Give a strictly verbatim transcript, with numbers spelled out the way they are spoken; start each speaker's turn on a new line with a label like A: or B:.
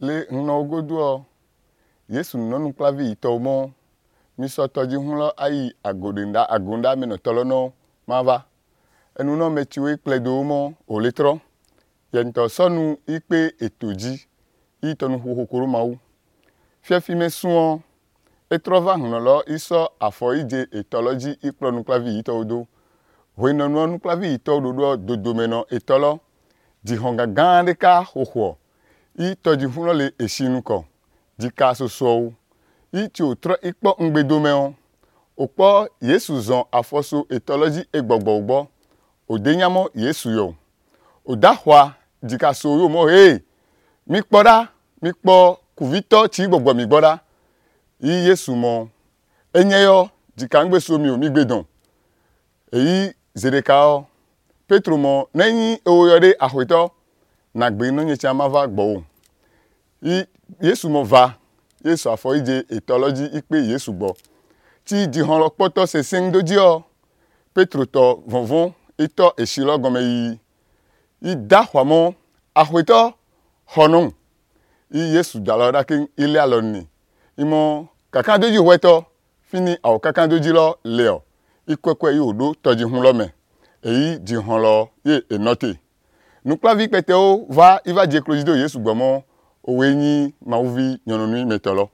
A: le no godo Yesu no nu klavi itomo mi so toji hunlo ayi agodinda agonda me no tolono mava enu no mechiwe pledo mo oletro yento sonu ipe etoji itonu hokoro mawu fiafi mesuo etrova hunlo iso afo ije etology iplonu klavi itodo weno no nu klavi itodo dodomeno etolo di honga gandeka hoho itoji hunlo le eshinuko dika soso iti otro ikpo ngbedomeo opo Yesu zon afoso etology egbogbo ugbo odenyamo Yesu yo odahwa dika so yo mo hey mi poda mi po kuvito chi gbogbo mi gboda yi Yesu mo enyeyo dika ngbe so mi o mi gbedon eyi zedekao Petro mo neyin owoyode ahweto na gbe no nyecha mava gbo yi Yesu mo va Yesu afo ije etology ipe Yesu gbo ti di hon lo poto se sing doji o Petro to vonvon ito esilo gome yi i dahwa mo ahweto honun i Yesu daloda kin ile aloni imo kakan doji hweto fini aw kakan doji lo leo ikwekwe yi odo toji hun lo me eyi di hon lo ye enote nuklavi pete o va iva je clojido Yesu gbo mo owenyi mauvi nyononu metolo